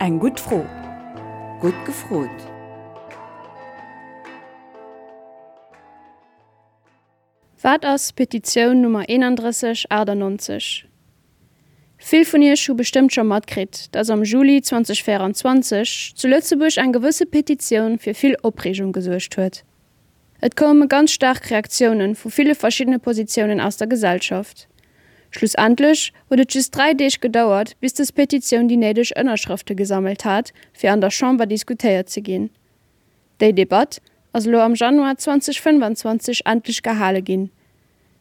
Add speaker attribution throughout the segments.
Speaker 1: Eng gutt Fro. Gutt gefrot!
Speaker 2: Wat ass Petitioun Nummer 3198? Vill vun iech hu bestëmmt scho matkritt, dass am Juli 2024 zu Lëtzebuerg eng gewësse Petitioun fir vill Opreegung gesuergt huet. Et koume ganz staark Reaktioune vu ville verschiddene Positiounen aus der Gesellschaft. Schlussendlech huet et just 3 Deeg gedauert, bis dës Petitioun déi néideg Ënnerschrëfte gesammelt hat, fir an der Chamber diskutéiert ze ginn. Déi Debatt ass elo am Januar 2025 endlech gehale ginn.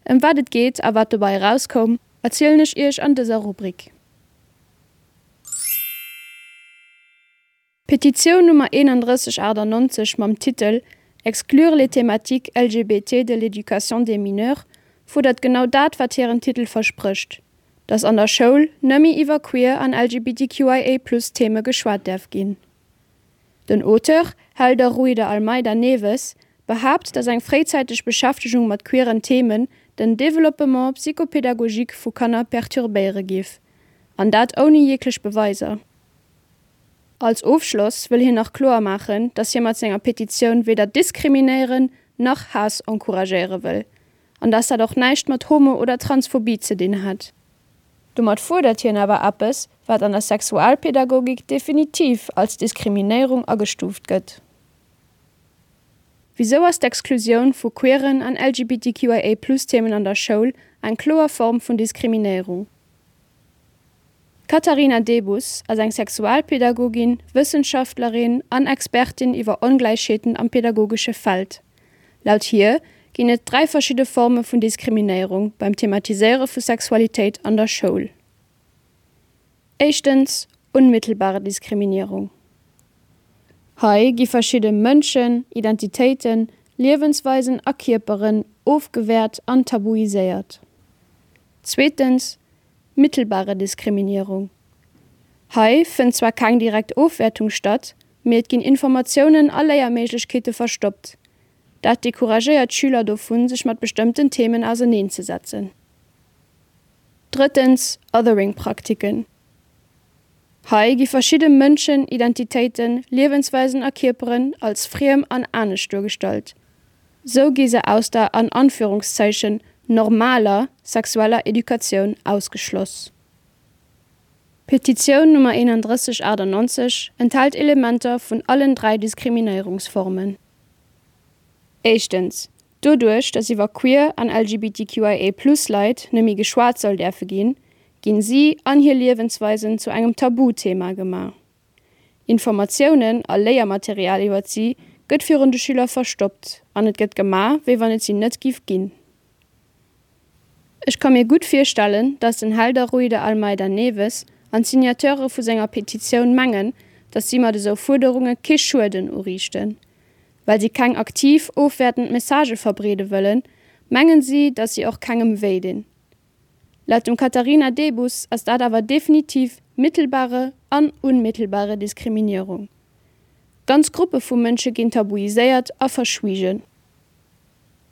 Speaker 2: Ëm wat et geet a wat dobei erauskoum, erzielen ech iech an dëser Rubrik. D'Petitioun Nummer 3198 mam Titel Exclure les thématiques LGBT de l'éducation des mineurs fuerdert genau dat, wat hiren Titel versprécht, dass an der Schoul nëmme iwwer queer an LGBTQIA-Plus-Theme geschwat däerf ginn. Den Auteur, Helder Rui de Almeida Neves, behaapt, datt eng fréizäiteg Beschäftegung mat queeren Themen den Développement psychopédagogique vu Kanner perturbéiere giff. An dat ouni jeglech Beweiser. Als Ofschloss wëll hien nach kloer maachen, datt hie mat senger Petitioun weder diskriminéieren nach Haass encouragéiere wëll. An datt dat och näischt mat Homo oder Transphobie ze dinn hätt. Domat fuerdert hien awer eppes, wat an der Sexualpädagogik definitiv als Diskriminéierung agestuuft gëtt. Wisou ass d'Exklusioun vu queeren an LGBTQIA-Plus-Themen an der Schoul eng kloer Form vun Diskriminéierung? D'Katharina Debus ass eng Sexualpädagogin, Wëssenschaftlerin an Expertin iwwer Ongläichheeten am pädagogesche Feld. Laut hir ginn et 3 verschidde Forme vun Diskriminéierung beim Thematiséiere vu Sexualitéit an der Schoul. Éischtens, unmittelbare Diskriminierung. Hei gi verschidde Mënschen, Identitéiten, Liewensweisen a Kierperen ofgewäert an tabuiséiert. Zweetens, mittelbare Diskriminierung. Hei fënnt zwar keng direkt Ofwäertung statt, mee et ginn Informatiounen a Léierméiglechkeete verstoppt. Dat decouragéiert d'Schüler dovun, sech mat bestëmmten Themen auserneenzesetzen. Drëttens, Othering-Praktiken. Hei gi verschidde Mënschen, Identitéiten, Liewensweisen a Kierperen als friem an anescht duergestallt. Sou gi se aus der an Anführungszeichen normaler sexueller Educatioun ausgeschloss. D'Petitioun Nummer 3198 enthält Elementer vun allen 3 Diskriminéierungsformen. Éischtens, doduerch datt iwwer queer an LGBTQIA plus Leit nëmme geschwat soll däerfe ginn, ginn si an hir Liewensweisen zu engem Tabuthema gemaach. Informatiounen a Léiermaterial iwwert si gëtt virun de Schüler verstoppt an et gëtt gemaach, wéi wann et si net giff ginn. Ech ka mir gutt virstellen, datt den Helder Rui de Almeida Neves an d'Signateure vu senger Petitioun mengen, datt si mat esou Fuerderunge kee Schueden uriichten. Well si keng aktiv ofwäertend Messagë verbreede wëllen, mengen si, datt si och kengem wéi dinn. Laut dem Katharina Debus ass dat awer definitiv mittelbare an unmittelbare Diskriminierung. Ganz Gruppe vu Mënsche ginn tabuiséiert a verschwiegen.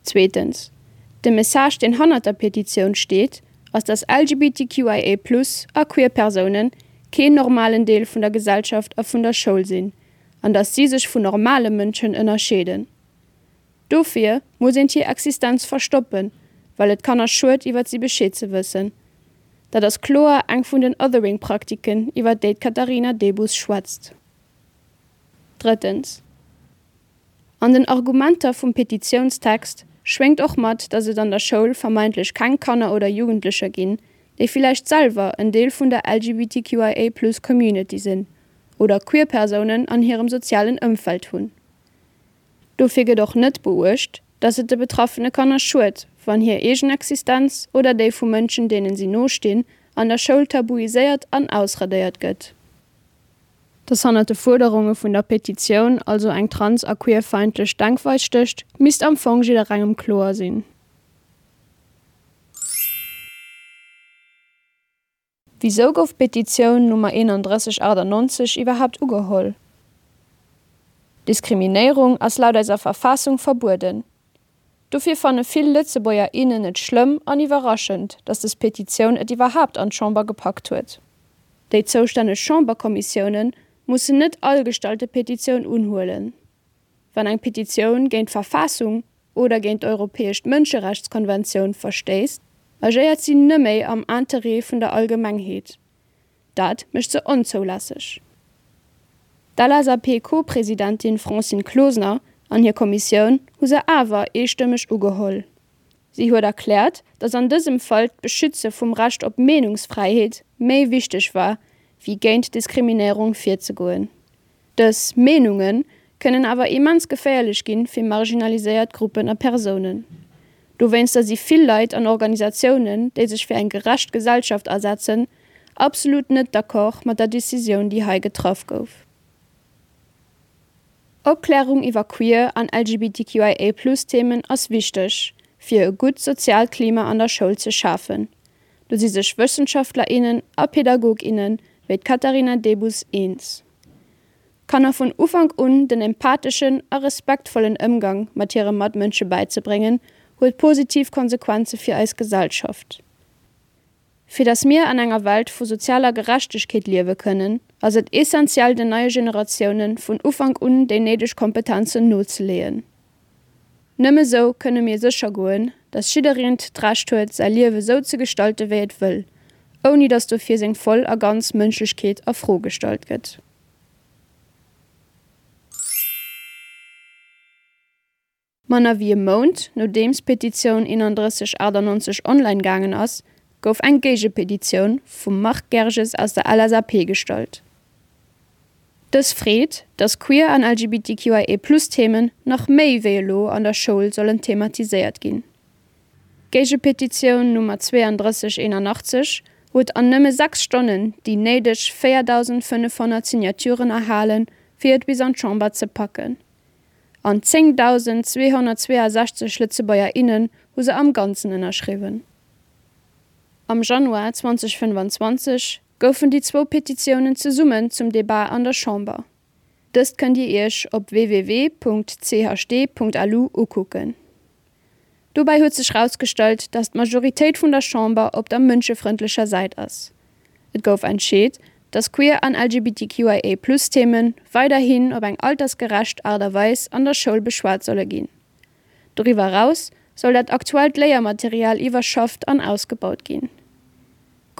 Speaker 2: Zweetens, de Message deen hannert der Petitioun steet, ass dass LGBTQIA plus a queer Persounen keen normalen Deel vun der Gesellschaft a vun der Schoul sinn an dass si sech vun normale Mënschen ënnerscheeden. Dofir muss eent hir Existenz verstoppen, well et Kanner schued iwwert si Bescheed ze wëssen. Dat ass kloer eng vun den Othering-Praktiken iwwert déi d'Katharina Debus schwätzt. Drëttens, an den Argumenter vum Petitiounstext schwéngt och mat, datt et an der Schoul vermeintlech keng Kanner oder Jugendlecher ginn, déi villäicht selwer en Deel vun der LGBTQIA-Plus-Community sinn oder queer Persounen an hirem sozialen Ëmfeld hunn. Dofir gëtt och net beuecht, dass et de betraffene Kanner schued, wann hir eegen Existenz oder déi vu Mënschen, deenen si no stinn, an der Schoul tabuiséiert an ausradéiert gëtt. Dass hannert de Fuerderunge vun der Petitioun also eng trans a queerfeindlech Denkweis stécht, misst am Fong jidderengem kloer sinn. Wisou gouf d'Petitioun Nummer 3198 iwwerhaapt ugeholl? Diskriminéierung ass laut eiser Verfassung verbueden. Dofir fanne vill Lëtzebuerger, innen et schlëmm an iwwerraschend, datt des Petitioun et iwwerhaapt an d'Chamber gepackt huet. Déi zoustänneg Chamberkommissioune mussen net all gestallte Petitioun unhuelen. Wann eng Petitioun géint d'Verfassung oder géint d'Europäesch Mënscherechtskonventioun verstéisst, agéiert si nëmméi am Interêt vun der Allgemengheet. Dat mécht se onzoulässeg. D'LSAP-Co-Presidentin Francine Closener an hir Kommissioun hu se awer eestëmmeg ugeholl. Si huet erkläert, datt an dësem Fall d'Beschütze vum Recht op Meenungsfräiheet méi wichteg war, wéi géint Diskriminéierung virzegoen. Dës Meenunge kënnen awer immens geféierlech ginn fir marginaliséiert Gruppen a Persounen. Dowéinster si vill Leit an Organisatiounen, déi sech fir eng gerecht Gesellschaft asetzen, absolut net d'accord mat der Decisioun, déi hei getraff gouf. Opklärung iwwer queer an LGBTQIA-Plus-Themen ass wichteg, fir e gutt soziaalt Klima an der Schoul ze schafen. Do si sech Wëssenschaftler, innen a Pädagog, innen wéi d'Katharina Debus eens. Kanner vun Ufank un den empatheschen a respektvollen Ëmgang mat hire Matmënsche bäizebréngen, huet positiv Konsequenze fir eis Gesellschaft. Fir datt mir an enger Welt vu sozialer Gerechtegkeet liewe kënnen, ass et essentiell den neie Generatioune vun Ufank un déi néideg Kompetenzen nozeleeën. Nëmme sou kënne mir sécher goen, datt jiddereent d'Recht huet, säi Liewe sou ze gestalte wéi et wëll, ouni datt dofir seng voll a ganz Mënschlechkeet a Fro gestallt gëtt. Manner wéi e Mount nodeems d'Petitioun 3198 online gaangen ass, gouf eng Géigepetitioun vum Marc Gerges aus der LSAP gestallt. Dës freet, datt queer an LGBTQIA-Plus-Themen nach méi wéi elo an der Schoul sollen thematiséiert ginn. D'Géigepetitioun Nummer 3281 huet an nëmme 6 Stonnen déi néideg 4.500 Signaturen erhalen, fir et bis an d'Chamber ze packen. An 10.262 Lëtzebuerger, innen hu se am Ganzen ënnerschriwwen. Am Januar 2025 goufen déi zwou Petitiounen zesummen zum Debat an der Chamber. Dëst kënnt Dir Iech op www.chd.lu ukucken. Dobäi huet sech rausgestallt, datt d'Majoritéit vun der Chamber op der mënschefrëndlecher Säit ass. Et gouf entscheet, datt queer an LGBTQIA-Plus-Themen weiderhin op eng altersgerecht Aart a Weis an der Schoul beschwat solle ginn. Doriwwer eraus soll dat aktuellt Léiermaterial iwwerschafft an ausgebaut ginn.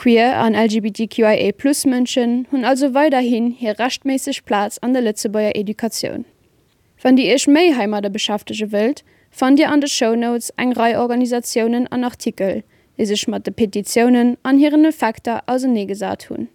Speaker 2: Queer an LGBTQIA-Plus-Mënschen hunn also weiderhin hir rechtméisseg Plaz an der Lëtzebuerger Educatioun. Wann Dir Iech méi heimadder beschäftege wëllt, fannt Dir an de Shownotes eng Rei Organisatiounen an Artikel, déi sech mat de Petitiounen an hiren Effekter auserneegesat hunn.